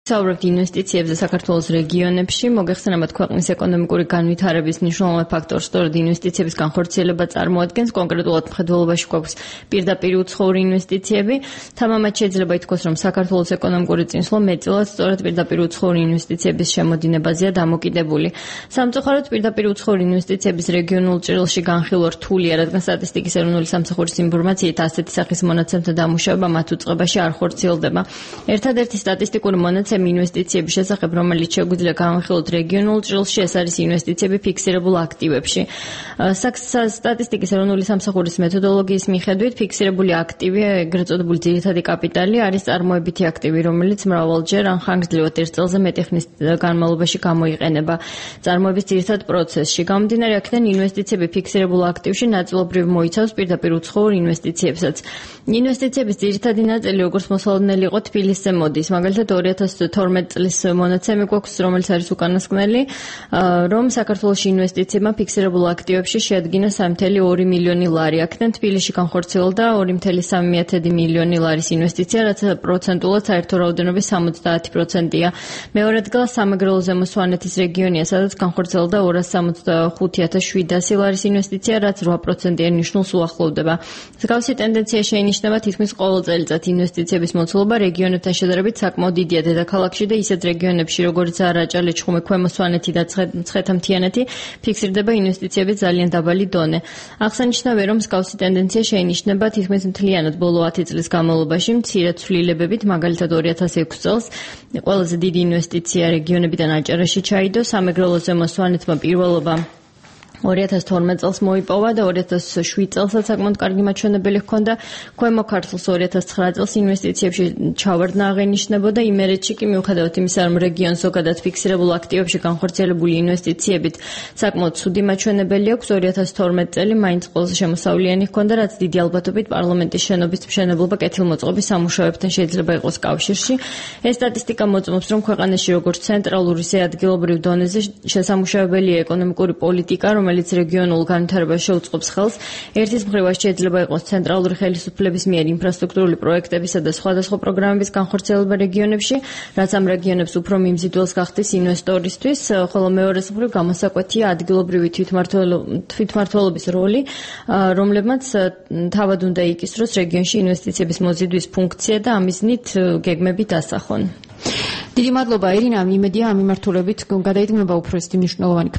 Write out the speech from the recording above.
საუბრობთ ინვესტიციებზე საქართველოს რეგიონებში, მოგეხსენებათ ქვეყნის ეკონომიკური განვითარების მნიშვნელოვან ფაქტორს, სწორედ ინვესტიციების განხორციელება წარმოადგენს, კონკრეტულად მხედველობაში გვაქვს პირდაპირ უცხოური ინვესტიციები. თამამად შეიძლება ითქვას, რომ საქართველოს ეკონომიკური წინსვლა მეტწილად სწორედ პირდაპირ უცხოური ინვესტიციების შემოდინებაზეა დამოკიდებული. სამწუხაროდ პირდაპირ უცხოური ინვესტიციების რეგიონულ ჭრილში განხილვა რთულია, რადგან სტატისტიკის ეროვნული სამსახურის ინფორმაციით ასეთი სახის მონაცემთა დამუშავება მათ უწყებაში არ ხორციელდება. ერთადერთი სტატისტიკური მონაცემი ინვესტიციების შესახებ, რომელიც შეგვიძლია განვიხილოთ რეგიონულ ჭრილში, ეს არის ინვესტიციები ფიქსირებულ აქტივებში. სტატისტიკის ეროვნული სამსახურის მეთოდოლოგიის მიხედვით, ფიქსირებული აქტივი, ეგრეთ წოდებული ძირითადი კაპიტალი, არის წარმოებითი აქტივი, რომელიც მრავალჯერ ან ხანგრძლივად ერთ წელზე მეტი ხნის განმავლობაში გამოიყენება წარმოების ძირითად პროცესში. გამომდინარე აქედან, ინვესტიციები ფიქსირებულ აქტივში ნაწილობრივ მოიცავს პირდაპირ უცხოურ ინვესტიციებსაც. ინვესტიციების ძირითადი ნაწილი, როგორც მოსალოდნელი იყო, თბილისზე მოდის. მაგალითად 2012 წლის მონაცემი გვაქვს, რომელიც არის უკანასკნელი, რომ საქართველოში ინვესტიციებმა ფიქსირებულ აქტივებში შეადგინა 3.2 მილიონი ლარი. აქედან თბილისში განხორციელდა 2.3 მილიონი ლარის ინვესტიცია, რაც პროცენტულად საერთო რაოდენობის 70%-ია. მეორე ადგილას სამეგრელო ზემო სვანეთის რეგიონია, სადაც განხორციელდა 265.700 ლარის ინვესტიცია, რაც 8%-იან ნიშნულს უახლოვდება. მსგავსი ტენდენცია შეინიშნება თითქმის ყოველ წელიწად. ინვესტიციების მოცულობა რეგიონებთან შედარებით საკმაოდ დიდია დედაქალაქში და ისეთ რეგიონებში, როგორიცაა რაჭა, ლეჩხუმი, ქვემო სვანეთი და ცხეთა-მთიანეთი, ფიქსირდება ინვესტიციების ძალიან დაბალი დონე. აღსანიშნავია, რომ მსგავსი ტენდენცია შეინიშნება თითქმის მთლიანად ბოლო 10 წლის განმავლობაში, მცირე ცვლილებებით, მაგალითად 2006 წელს ყველაზე დიდი ინვესტიცია რეგიონებიდან აჭარაში ჩაიდო, სამეგრელო ზემო სვანეთმა პირველობა 2012 წელს მოიპოვა და 2007 წელსაც საკმაოდ კარგი მაჩვენებელი ჰქონდა. ქვემო ქართლს 2009 წელს ინვესტიციებში ჩავარდნა აღენიშნებოდა. იმერეთში კი მიუხედავად იმისა, რომ რეგიონს ზოგადად ფიქსირებულ აქტივებში განხორციელებული ინვესტიციებით საკმაოდ ცუდი მაჩვენებელი აქვს, 2012 წელი მაინც ყველაზე შემოსავლიანი ჰქონდა, რაც დიდი ალბათობით პარლამენტის შენობის მშენებლობა კეთილმოწყობის სამუშაოებთან შეიძლება იყოს კავშირში. ეს სტატისტიკა მოწმობს, რომ ქვეყანაში როგორც ცენტრალურ, ისე ადგილობრივ დონეზე შესამუშავებელია ეკონომიკური პოლიტიკა, რომელიც რეგიონულ განვითარებას შეუწყობს ხელს. ერთის მხრივ შეიძლება იყოს ცენტრალური ხელისუფლების მიერ ინფრასტრუქტურული პროექტებისა და სხვადასხვა პროგრამების განხორციელება რეგიონებში, რაც ამ რეგიონებს უფრო მიმზიდველს გახდის ინვესტორისთვის, ხოლო მეორეს მხრივ გამოსაკვეთია ადგილობრივი თვითმმართველობის როლი, რომლებმაც თავად უნდა იკისროს რეგიონში ინვესტიციების მოზიდვის ფუნქცია და ამიზნით გეგმები დასახონ. დიდი მადლობა ირინა, იმედია ამ მიმართულებით გადაიდგმება უფრო ისეთი მნიშვნელოვანი